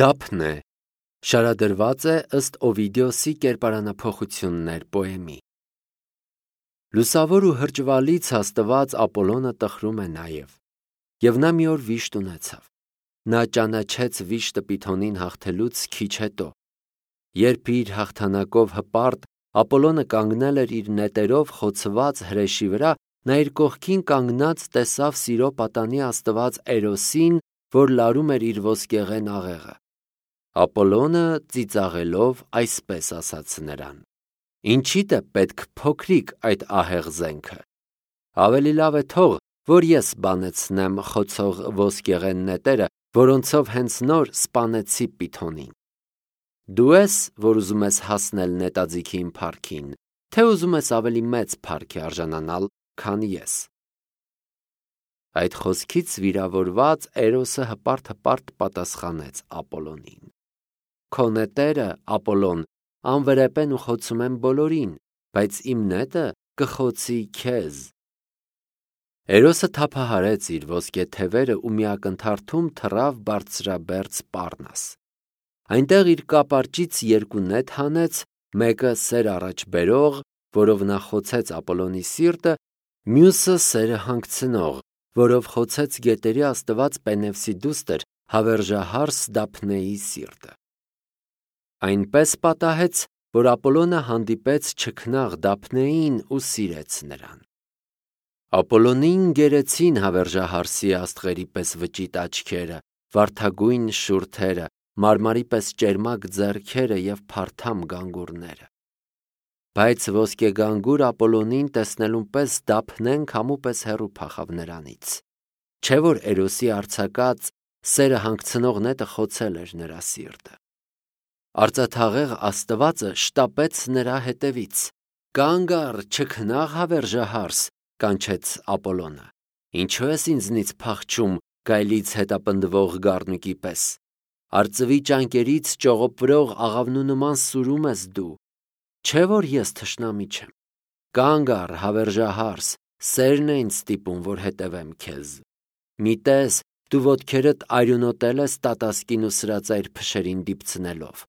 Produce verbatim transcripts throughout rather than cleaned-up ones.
Դափն է շարադրված է ըստ Օվիդիոսի կերպարանափոխություններ պոեմի։ Լուսավոր ու հրճվալից հաստված Ապոլոնը տխրում է նաև, և նա մի օր վիշտ ունեցավ։ Նա ճանաչեց վիշտը Պիթոնին հաղթելուց քիչ հետո, երբ իր հաղթանակով հպարտ Ապոլոնը կանգնել էր իր նետերով խոցված հրեշի վրա, նա իր կողքին կանգնած տեսավ սիրո պատանի աստված Էրոսին, որ լարում էր իր ոսկեղեն աղեղը։ Ապոլոնը ծիծաղելով այսպես ասաց նրան. «Ինչիդ է պետք փոքրիկ այդ ահեղ զենքը։ Ավելի լավ է թող, որ ես բանեցնեմ խոցող ոսկեղեն նետերը, որոնցով հենց նոր սպանեցի Պիթոնին։ Դու ես, որ ուզում ես հասնել նետաձիգի իմ փառքին, թե ուզում ես ավելի մեծ փառքի արժանանալ, քան ես»։ Այդ խոսքից վիրավորված Էրոսը հպարտ-հպարտ պատասխանեց Ապոլոնին. «Քո նետերը, Ապոլոն, անվրեպ են ու խոցում են բոլորին, բայց իմ նետը կխոցի քեզ»։ Էրոսը թափահարեց իր ոսկե թևերը ու մի ակնթարթում թռավ բարձրաբերձ Պառնաս։ Այնտեղ իր կապարճից երկու նետ հանեց, մեկը սեր առաջ բերող, որով նա խոցեց Ապոլոնի սիրտը, մյուսը սերը հանգցնող, որով խոցեց գետերի աստված Պենևսի դուստր հավերժահարս Դափնեի սիրտը։ Այնպես պատահեց, որ Ապոլոնը հանդիպեց չքնաղ Դափնեին ու սիրեց նրան։ Ապոլոնին գերեցին հավերժահարսի աստղերի պես վճիտ աչքերը, վարդագույն շուրթերը, մարմարի պես ճերմակ ձեռքերը և փարթամ գանգուրները։ Բայց ոսկեգանգուր Ապոլոնին տեսնելուն պես Դափնեն քամու պես հեռու փախավ նրանից, չէ՞ որ Էրոսի արձակած սերը հանգցնող նետը խոցել էր նրա սիրտը։ Արծաթաղեղ աստվածը շտապեց նրա հետևից։ «Կանգ առ, չքնաղ հավերժահարս», կանչեց Ապոլոնը։ «Ինչո՞ւ ես ինձնից փախչում գայլից հետապնդվող գառնուկի պես։ Արծվի ճանկերից ճողոպվրող աղավնու նման սուրում ես դու։ Չէ՞ որ ես թշնամի չեմ։ Կանգ առ, հավերժահարս, սերն է ինձ ստիպում, որ հետևեմ քեզ։ Մի տես, դու ոտքերդ արյունոտել ես տատասկին ու սրածայր փշերին դիպցնելով։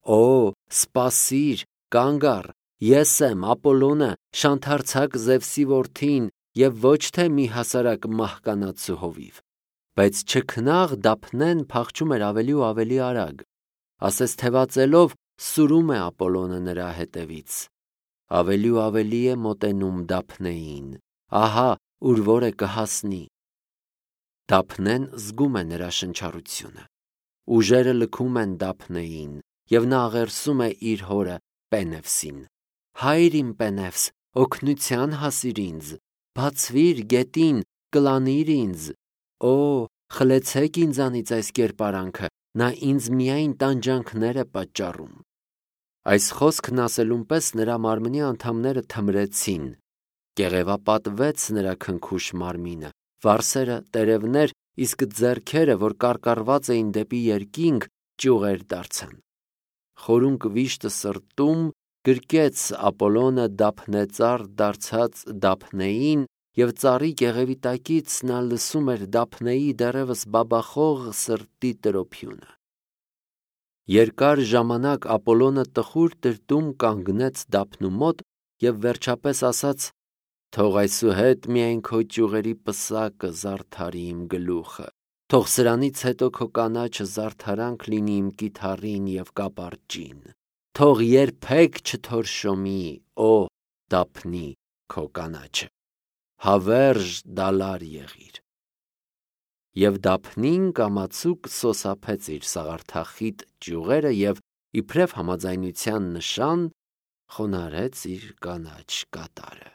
Օ, սպասիր, կանգ առ, ես եմ Ապոլոնը, շանթարցակ Զևսի որդին, և ոչ թե մի հասարակ մահկանացու հովիվ»։ Բայց չքնաղ Դափնեն փախչում էր ավելի ու ավելի արագ, ասես թևածելով սուրում է Ապոլոնը նրա հետևից։ Ավելի ու ավելի է մոտենում Դափնեին, ահա ուր որ է կհասնի։ Դափնեն զգում է նրա շնչառությունը։ Ուժերը լքում են Դափնեին, և նա աղերսում է իր հորը Պենևսին. «Հայր իմ Պենևս, օգնության հասիր ինձ, բացվիր գետին, կլանիր ինձ։ Օ, խլեցեք ինձանից այս կերպարանքը, նա ինձ միայն տանջանքներ է պատճառում»։ Այս խոսքն ասելուն պես նրա մարմնի անդամները թմրեցին, կեղևապատվեց նրա քնքուշ մարմինը, վարսերը տերևներ, իսկ ձեռքերը, որ կարկառված էին դեպի երկինք, ճյուղեր դարձան։ Խորունկ վիշտը սրտում գրկեց Ապոլոնը դափնեծառ դարձած Դափնեին, և ծառի կեղևի տակից նա լսում էր Դափնեի դեռևս բաբախող սրտի տրոփյունը։ Երկար ժամանակ Ապոլոնը տխուր տրտում կանգնեց Դափնու մոտ և վերջապես ասաց. «Թող այսուհետ միայն քո ճյուղերի պսակը զարդարի իմ գլուխը, թող սրանից հետո քո կանաչը զարդարանք լինի իմ կիթառին և կապարճին, թող երբեք չթորշոմի, օ Դափնի, քո կանաչը, հավերժ դալար եղիր»։ Եվ Դափնին կամացուկ սոսափեց իր սաղարթախիտ ճյուղերը և, իբրև համաձայնության նշան, խոնարհեց իր կանաչ կատարը։